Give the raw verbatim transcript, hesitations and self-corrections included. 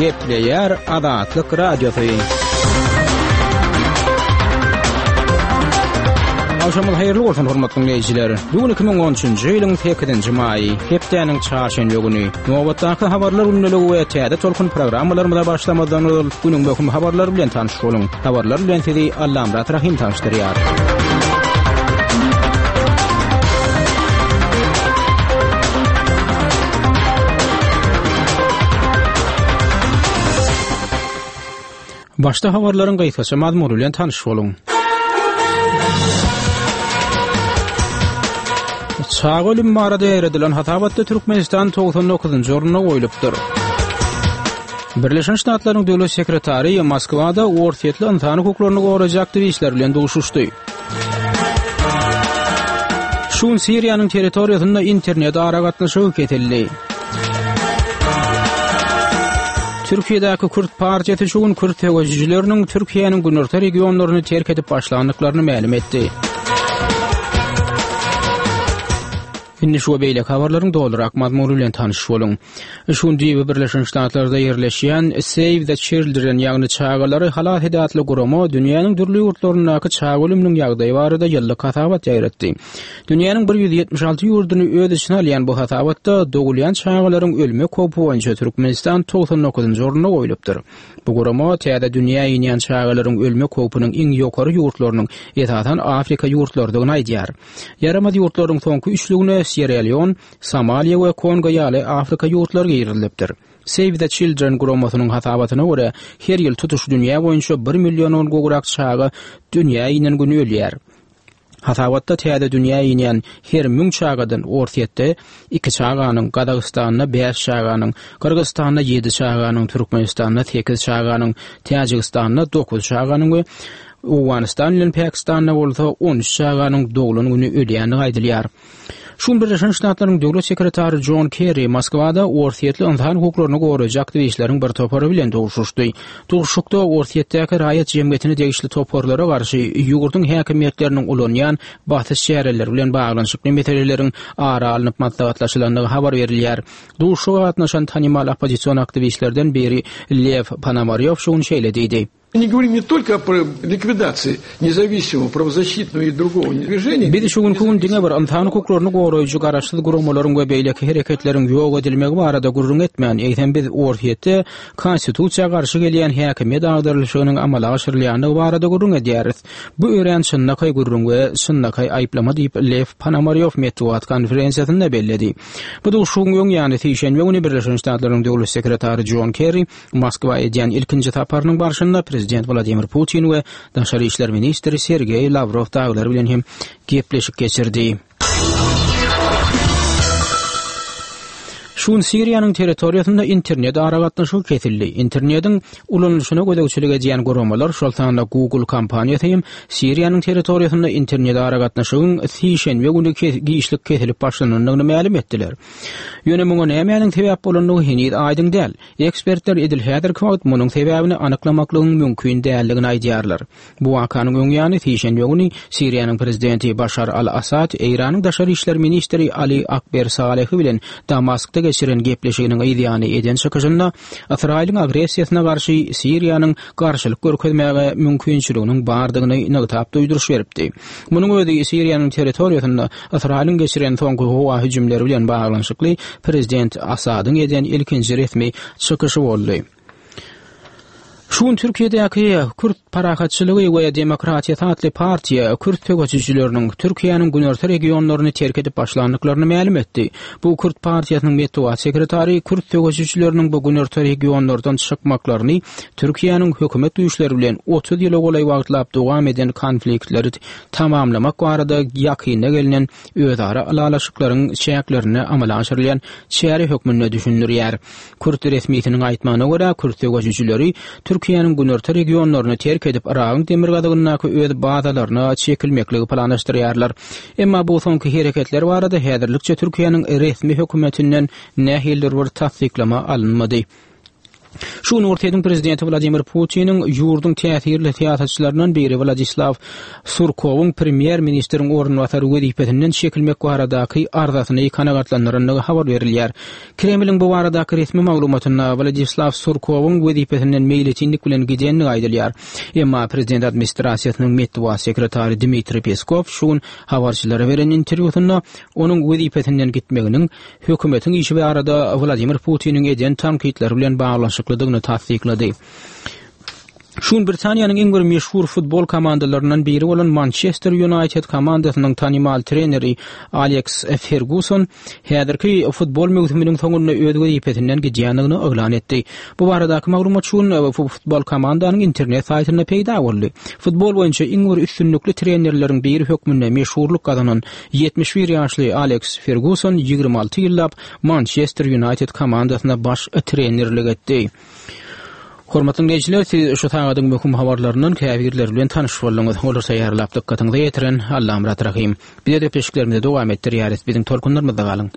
Gepleýär Azatlyk Radiosy. Agşamyňyz haýyrly bolsun, hormatly diňleýjiler. Bu gün iki müň on üçünji ýylyň sekizinji maýy, hepdäniň çarşenbe güni. Nobatdaky habarlar gündeligi we täze tolkun programmalarymyza başlamazdan ozal günüň möhüm habarlary bilen tanyş boluň. Habarlar bilen sizi Allamyrat Rahym tanyşdyrýar. Başda habarlaryň gysgaça mazmuny bilen tanyş boluň. Çaga ölümi barada ýaýradylan hasabatda Türkmenistan togsan dokuzynjy orunda goýlupdyr. Birleşen Ştatlaryň döwlet sekretary Moskwada orsýetli ynsan hukuklaryny goraýjy aktiwistler bilen duşuşdy. Şu gün Siriýanyň territoriýasynda internet aragatnaşygy kesildi. Türkiýedäki Kürt partiýasy şu gün kürt söweşijileriniň Türkiýäniň günorta regionlaryny terk edip başlandyklaryny mälim etdi. Indi şu we beýleki habarlaryň dolurak mazmuny bilen tanyş boluň. Şu gün düýbi Birleşen Ştatlarda ýerleşýän Save the Children, ýagny Çagalary halas et atly gurama dünýäniň dürli ýurtlaryndaky çaga ölüminiň ýagdaýy barada ýyllyk hasabat ýaýratdy. Dünýäniň bir ýüz ýetmiş alty ýurduny öz içine alýan bu hasabatda dogulýan çagalaryň ölmek howpy boýunça Türkmenistan togsan dokuzynjy orunda goýlupdyr. Bu gurama täze dünýä inýän çagalaryň ölmek howpunyň iň ýokary ýurtlarynyň esasan Afrika ýurtlarydygyny aýdýar. Ýaramaz ýurtlaryň soňky üçlügine Sýerra-Leon, Somaliýa we Kongo ýaly Afrika ýurtlary girizilipdir. Save the Children guramasynyň hasabatyna görä, her ýyl tutuş dünýä boýunça bir milliondan gowrak çaga dünýä inen güni ölýär. Hasabatda täze dünýä inýän her müň çagadan Orsýetde iki çaganyň, Gazagystanda bäş çaganyň, Gyrgyzystanda ýedi çaganyň, Türkmenistanda sekiz çaganyň, Täjigistanda dokuz çaganyň we Owganystan bilen Pakistanda bolsa on üç çaganyň doglan güni ölýändigi aýdylýar. Şu gün Birleşen Ştatlaryň Döwlet sekretary Jon Kerri Moskwada orsýetli ynsan hukuklaryny goraýjy aktiwistleriň bir topary bilen duşuşdy. Duşuşykda Orsýetdäki raýat jemgyýetine degişli toparlara garşy ýurduň häkimiýetleriniň ulanýan basyş çäreleri bilen baglanyşykly meseleleriň ara alnyp maslahatlaşylandygy habar berilýär. Duşuşyga gatnaşan tanymal oppozision aktiwistlerden biri Lew Ponomarýow şu gün şeýle diýdi. Мы говорим не только о ликвидации независимого правозащитного и другого движения. Biz şu günki gün diňe bir ynsan hukuklaryny goraýjy garaşsyz guramalaryň we beýleki hereketleriň ýok edilmegi barada gürrüň etmän, eýsem biz Orsýetde konstitusiýa garşy gelýän häkimiýet agdarylyşygynyň amala aşyrylýandygy barada gürrüň edýäris. Bu örän çynlakaý gürrüň we çynlakaý aýyplama diýip, Lew Ponomarýow metbugat konferensiýasynda belledi. Bu duşuşygyň öň ýany sişenbe güni Birleşen Ştatlaryň Döwlet sekretary Jon Kerri Moskwa edýän ilkinji saparynyň barşynda prezident Wladimir Putin we daşary işler ministri Sergeý Lawrow dagylar bilen hem gepleşik geçirdi. Şu gün Siriýanyň territoriýasynda internet aragatnaşygy kesildi. Internetiň ulanylyşyna gözegçilik edýän guramalar, şol sanda Google kompaniýasy hem Siriýanyň territoriýasynda internet aragatnaşygyň sişenbe güni giçlik kesilip başlanandygyny mälim etdiler. Ýöne muňa nämäniň sebäp bolandygy heniz aýdyň däl. Ekspertler edil häzirki wagt munuň sebäbini anyklamaklygyň mümkin däldigini aýdýarlar. Bu wakanyň öň ýany sişenbe güni Siriýanyň prezidenti Başar al-Assad Eýranyň daşary işler ministri Ali Akber Salehi bilen Damaskda geçiren gepleşiginiň yz ýany eden çykyşynda Ysraýylyň agressiýasyna garşy Siriýanyň garşylyk görkezmäge mümkinçiliginiň bardygyny nygtap duýduryş beripdi. Munuň özi Siriýanyň territoriýasynda Ysraýylyň geçiren soňky howa hüjümleri bilen baglanyşykly prezident Assadyň eden ilkinji resmi çykyşy boldy. Şu gün Türkiýedäki Kürt parahatçylygy we demokratiýasy atly partiýa kürt söweşijileriniň Türkiýäniň günorta regionlaryny terk edip başlandyklaryny mälim etdi. Bu Kürt partiýasynyň metbugat sekretary kürt söweşijileriniň bu günorta regionlardan çykmaklaryny Türkiýäniň hökümet güýçleri bilen otuz ýyla golaý wagtlap dowam eden konfliktleri tamamlamak barada ýakynda gelnen özara ylalaşyklaryň çäklerinde amala aşyrylýan çäre hökmünde düşündirýär. Kürt resmisiniň aýtmagyna görä, kürt söweşijileri Türkiýäniň günorta regionlaryny terk edip, Yragyň demirgazygyndaky öz bazalaryna çekilmekligi planlaşdyrýarlar. Emma bu soňky hereketler barada häzirlikçe Türkiýäniň resmi hökümetinden nähilidir bir tassyklama alynmady. Şu gün Orsýetiň prezidenti Wladimir Putiniň ýurduň täsirli syýasatçylaryndan biri Wladislaw Surkowyň premýer-ministriň orunbasary wezipesinden çekilmek baradaky arzasyny kanagatlandyrandygy habar berilýär. Kremliň bu baradaky resmi maglumatynda Wladislaw Surkowyň wezipesinden meýletinlik bilen gidendigi aýdylýar. Emma prezident administrasiýasynyň metbugat sekretary Dmitriý Peskow şu gün habarçylara beren interwýusynda onuň wezipesinden gitmeginiň hökümetiň işi barada Wladimir Putiniň eden tankytlary bilen baglanyşyklydygyny tassyklady. Şu gün Britaniýanyň iň bir meşhur futbol komandalaryndan biri bolan Mançester Ýunaýted komandasynyň tanymal treneri Aleks Ferguson häzirki futbol möwsüminiň soňunda öz wezipesinden gidýändigini yglan etdi. Bu baradaky maglumat şu gün futbol komandanyň internet saýtynda peýda boldy. Futbol boýunça iň bir üstünlikli trenerleriň biri hökmünde meşhurlyk gazanan ýetmiş bir ýaşly Aleks Ferguson ýigrimi alty ýyllap Mançester Ýunaýted komandasyna baş trenerlik etdi. Hormatly dinleýjiler, siz şu sagadyň möhüm habarlaryndan käbirleri bilen tanyş bolduňyz. Olary taýýarlap dykgatyňyza ýetiren Allamyrat Rahym. Biz gepleşiklerimizi dowam etdirýäris. Biziň tolkunlarymyzda galyň.